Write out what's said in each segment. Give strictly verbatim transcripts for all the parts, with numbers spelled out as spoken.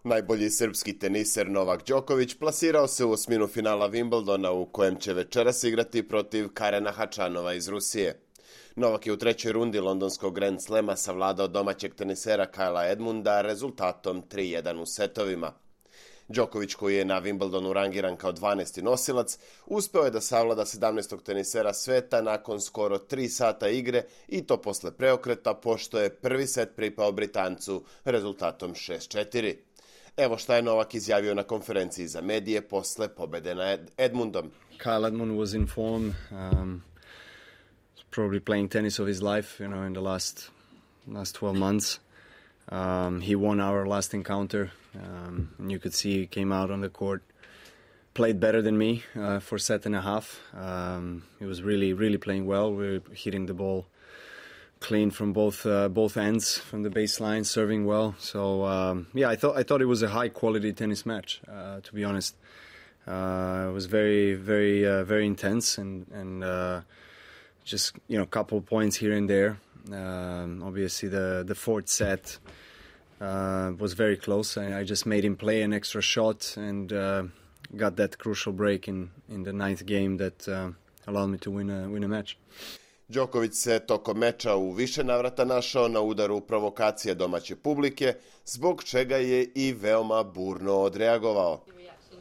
Najbolji srpski teniser Novak Đoković plasirao se u osminu finala Wimbledona u kojem će večeras igrati protiv Karena Hačanova iz Rusije. Novak je u trećoj rundi londonskog Grand Slema savladao domaćeg tenisera Kyla Edmunda rezultatom tri jedan u setovima. Đoković, koji je na Wimbledonu rangiran kao dvanaesti nosilac, uspeo je da savlada sedamnaestog tenisera sveta nakon skoro tri sata igre i to posle preokreta, pošto je prvi set pripao Britancu rezultatom šest četiri. Evo šta je Novak izjavio na konferenciji za medije posle pobede nad Edmundom. Kyle Edmund was in form, um, probably playing tennis of his life, you know, in the last last twelve months. Um, he won our last encounter, um, and you could see he came out on the court, played better than me uh, for a set and a half. Um, he was really, really playing well. We were hitting the ball clean from both uh, both ends, from the baseline, serving well. So um, yeah, I thought I thought it was a high quality tennis match. Uh, to be honest, uh, it was very, very, uh, very intense, and and uh, just you know, a couple of points here and there. Um, obviously, the the fourth set uh, was very close. I, I just made him play an extra shot and uh, got that crucial break in in the ninth game that uh, allowed me to win a win a match. Đoković se tokom meča u više navrata našao na udaru provokacije domaće publike, zbog čega je i veoma burno odreagovao.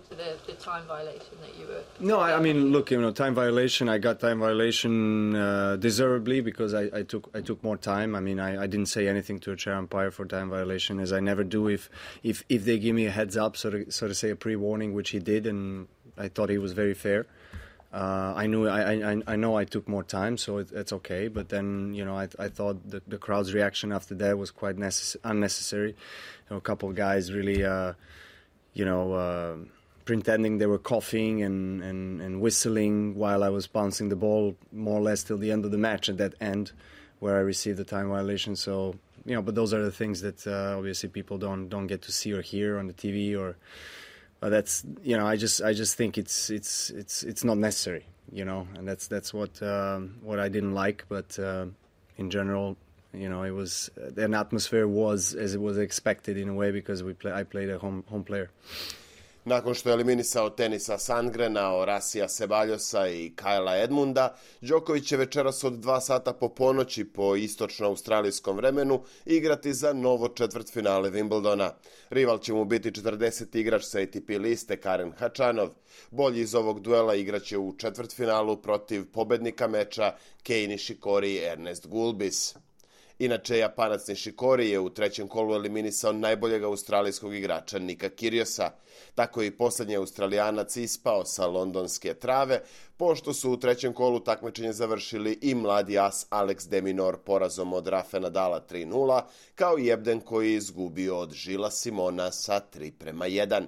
To the, the time violation that you were... No, I, I mean, look, you know, time violation. I got time violation uh, deservedly because I, I took I took more time. I mean, I, I didn't say anything to a chair umpire for time violation, as I never do if if if they give me a heads up, so to, so to say a pre-warning, which he did, and I thought he was very fair. Uh, I knew I, I I know I took more time, so it, it's okay. But then, you know, I I thought the the crowd's reaction after that was quite necess- unnecessary. You know, a couple of guys really, uh, you know. Uh, pretending they were coughing and, and, and whistling while I was bouncing the ball more or less till the end of the match at that end where I received the time violation. So, you know, but those are the things that uh, obviously people don't don't get to see or hear on the T V, or uh, that's, you know, I just I just think it's it's it's it's not necessary, you know, and that's that's what um, what I didn't like, but uh, in general, you know, it was an atmosphere was as it was expected in a way because we play I played a home home player. Nakon što je eliminisao Tenisa Sandgrena, Orasija Sebaljosa i Kyla Edmunda, Đoković će večeras od dva sata po ponoći po istočno-australijskom vremenu igrati za novo četvrtfinale Wimbledona. Rival će mu biti četrdeseti igrač sa A T P liste Karen Hačanov. Bolji iz ovog duela igraće u četvrtfinalu protiv pobednika meča Kei Nishikori i Ernest Gulbis. Inače, Japanac Nishikori je u trećem kolu eliminisao najboljeg australijskog igrača Nika Kyrgiosa. Tako je i poslednji Australijanac ispao sa londonske trave, pošto su u trećem kolu takmičenje završili i mladi as Alex de Minaur porazom od Rafa Nadala tri nula, kao i Ebden koji je izgubio od Gilesa Simona sa tri prema jedan.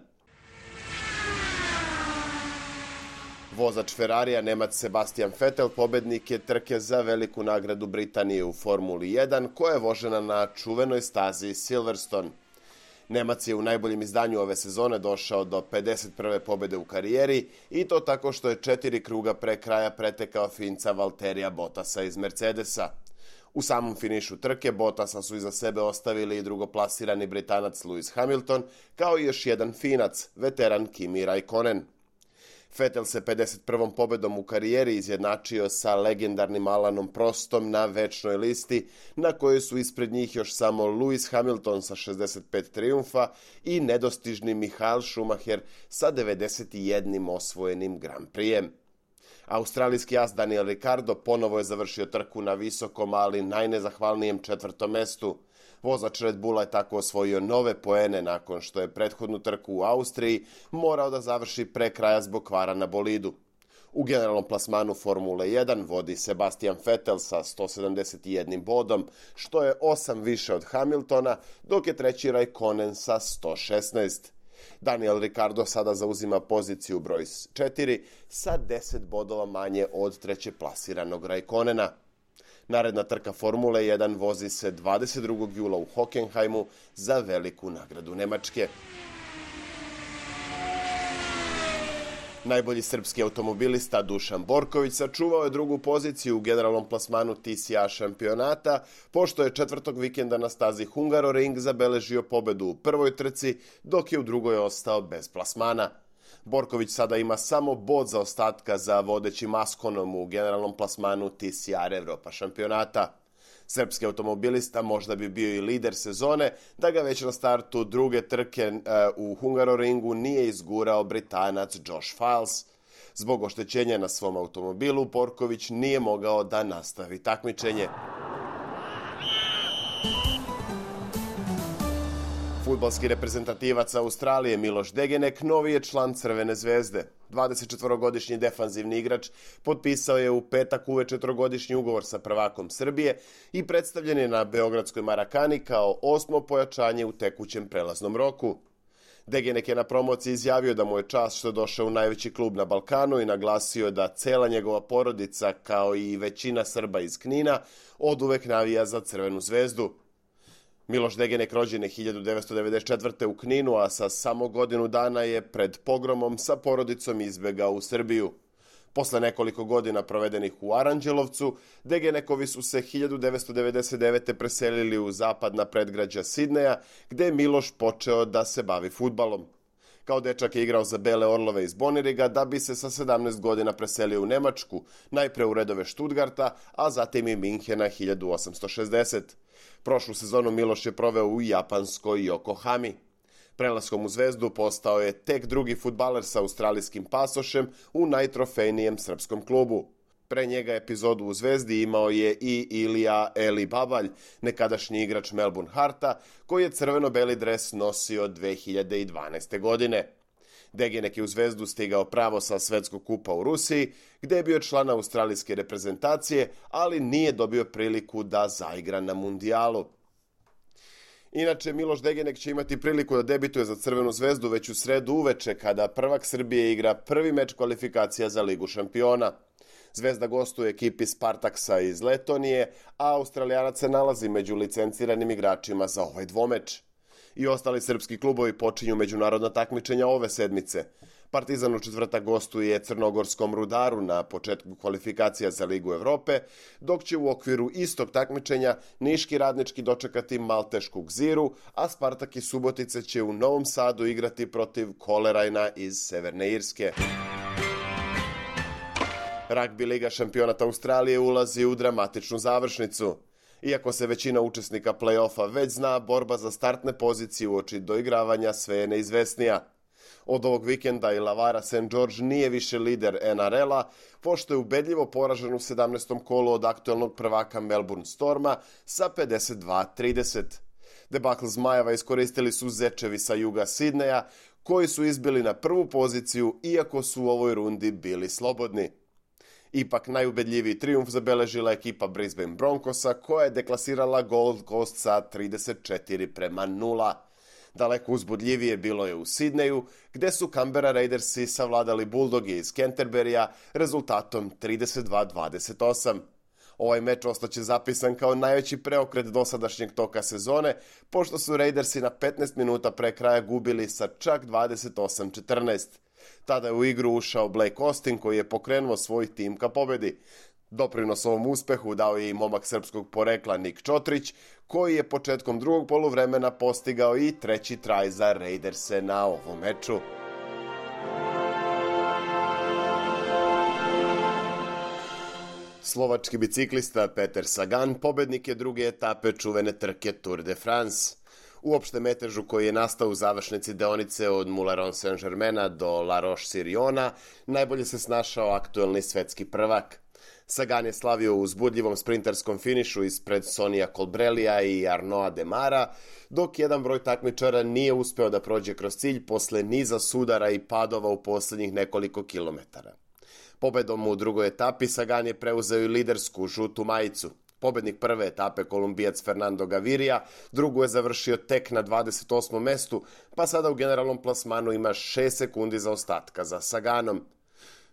Vozač Ferrarija, Nemac Sebastian Vettel, pobednik je trke za veliku nagradu Britanije u Formuli jedan, koja je vožena na čuvenoj stazi Silverstone. Nemac je u najboljem izdanju ove sezone došao do pedeset prve pobede u karijeri i to tako što je četiri kruga pre kraja pretekao Finca Valterija Bottasa iz Mercedesa. U samom finišu trke Bottasa su iza sebe ostavili i drugoplasirani Britanac Lewis Hamilton, kao i još jedan Finac, veteran Kimi Raikkonen. Vettel se pedeset prvom pobedom u karijeri izjednačio sa legendarnim Alanom Prostom na večnoj listi, na kojoj su ispred njih još samo Lewis Hamilton sa šezdeset pet trijumfa i nedostižni Michael Schumacher sa devedeset jedan osvojenim Grand Prixem. Australijski as Daniel Ricciardo ponovo je završio trku na visokom, ali najnezahvalnijem četvrtom mestu. Vozač Red Bulla je tako osvojio nove poene nakon što je prethodnu trku u Austriji morao da završi pre kraja zbog kvara na bolidu. U generalnom plasmanu Formule jedan vodi Sebastian Vettel sa sto sedamdeset jedan bodom, što je osam više od Hamiltona, dok je treći Raikkonen sa sto šesnaest. Daniel Ricciardo sada zauzima poziciju broj četiri sa deset bodova manje od treće plasiranog Raikkonena. Naredna trka Formule jedan vozi se dvadeset drugog jula u Hockenheimu za veliku nagradu Nemačke. Najbolji srpski automobilista Dušan Borković sačuvao je drugu poziciju u generalnom plasmanu T C A šampionata, pošto je četvrtog vikenda na stazi Hungaroring zabeležio pobedu u prvoj trci, dok je u drugoj ostao bez plasmana. Borković sada ima samo bod zaostatka za vodećim Askonom u generalnom plasmanu T C R Evropa šampionata. Srpski automobilista možda bi bio i lider sezone da ga već na startu druge trke u Hungaroringu nije izgurao Britanac Josh Files. Zbog oštećenja na svom automobilu Borković nije mogao da nastavi takmičenje. Fudbalski reprezentativac Australije Miloš Degenek novi je član Crvene zvezde. dvadesetčetvorogodišnji defanzivni igrač potpisao je u petak uveče trogodišnji ugovor sa prvakom Srbije i predstavljen je na beogradskoj Marakani kao osmo pojačanje u tekućem prelaznom roku. Degenek je na promociji izjavio da mu je čast što je došao u najveći klub na Balkanu i naglasio da cela njegova porodica, kao i većina Srba iz Knina, oduvek navija za Crvenu zvezdu. Miloš Degenek rođen je hiljadu devetsto devedeset četvrte. u Kninu, a sa samo godinu dana je pred pogromom sa porodicom izbegao u Srbiju. Posle nekoliko godina provedenih u Aranđelovcu, Degenekovi su se hiljadu devetsto devedeset devete. preselili u zapadna predgrađa Sidneja, gde je Miloš počeo da se bavi fudbalom. Kao dečak je igrao za Bele Orlove iz Boniriga, da bi se sa sedamnaest godina preselio u Nemačku, najpre u redove Stuttgarta, a zatim i Minhena hiljadu osamsto šezdesete. Prošlu sezonu Miloš je proveo u japanskoj Yokohami. Prelaskom u Zvezdu postao je tek drugi fudbaler sa australijskim pasošem u najtrofejnijem srpskom klubu. Pre njega epizodu u Zvezdi imao je i Ilija Eli Babalj, nekadašnji igrač Melbourne Hearta, koji je crveno-beli dres nosio dve hiljade dvanaeste. godine. Degenek je u Zvezdu stigao pravo sa svetskog kupa u Rusiji, gde je bio član australijske reprezentacije, ali nije dobio priliku da zaigra na mundijalu. Inače, Miloš Degenek će imati priliku da debituje za Crvenu zvezdu već u sredu uveče, kada prvak Srbije igra prvi meč kvalifikacija za Ligu šampiona. Zvezda gostuje ekipi Spartaksa iz Letonije, a Australijanac se nalazi među licenciranim igračima za ovaj dvomeč. I ostali srpski klubovi počinju međunarodna takmičenja ove sedmice. Partizan u četvrtak gostuje Crnogorskom Rudaru na početku kvalifikacija za Ligu Evrope, dok će u okviru istog takmičenja Niški Radnički dočekati Maltešku Gziru, a Spartak iz Subotice će u Novom Sadu igrati protiv Kolerajna iz Severne Irske. Ragbi Liga šampionata Australije ulazi u dramatičnu završnicu. Iako se većina učesnika play-offa već zna, borba za startne pozicije uoči doigravanja sve je neizvesnija. Od ovog vikenda Illawarra Saint George nije više lider N R L-a, pošto je ubedljivo poražen u sedamnaestom kolu od aktuelnog prvaka Melbourne Storma sa pedeset dva trideset. Debakl Zmajeva iskoristili su Zečevi sa juga Sidneja, koji su izbili na prvu poziciju, iako su u ovoj rundi bili slobodni. Ipak najubedljiviji trijumf zabeležila ekipa Brisbane Broncosa, koja je deklasirala Gold Coast sa trideset četiri prema nula. Daleko uzbudljivije bilo je u Sidneju, gde su Canberra Raidersi savladali Bulldoge iz Canterburya rezultatom trideset dva dvadeset osam. Ovaj meč ostaće zapisan kao najveći preokret dosadašnjeg toka sezone, pošto su Raidersi na petnaest minuta pre kraja gubili sa čak dvadeset osam četrnaest. Tada je u igru ušao Blake Austin, koji je pokrenuo svoj tim ka pobedi. Doprinos ovom uspehu dao je i momak srpskog porekla Nik Čotrić, koji je početkom drugog poluvremena postigao i treći traj za Raiderse na ovom meču. Slovački biciklista Peter Sagan pobednik je druge etape čuvene trke Tour de France. U opštem metežu koji je nastao u završnici deonice od Moulin Saint-Germaina do La Roche-sur-Yona najbolje se snašao aktuelni svetski prvak. Sagan je slavio u uzbudljivom sprinterskom finišu ispred Sonija Colbrellija i Arnaud Demara, dok jedan broj takmičara nije uspeo da prođe kroz cilj posle niza sudara i padova u poslednjih nekoliko kilometara. Pobedom u drugoj etapi Sagan je preuzeo i lidersku žutu majicu. Pobednik prve etape, Kolumbijac Fernando Gaviria, drugu je završio tek na dvadeset osmom mestu, pa sada u generalnom plasmanu ima šest sekundi zaostatka za Saganom.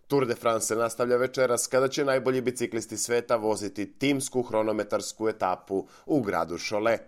Tour de France se nastavlja večeras, kada će najbolji biciklisti sveta voziti timsku hronometarsku etapu u gradu Cholet.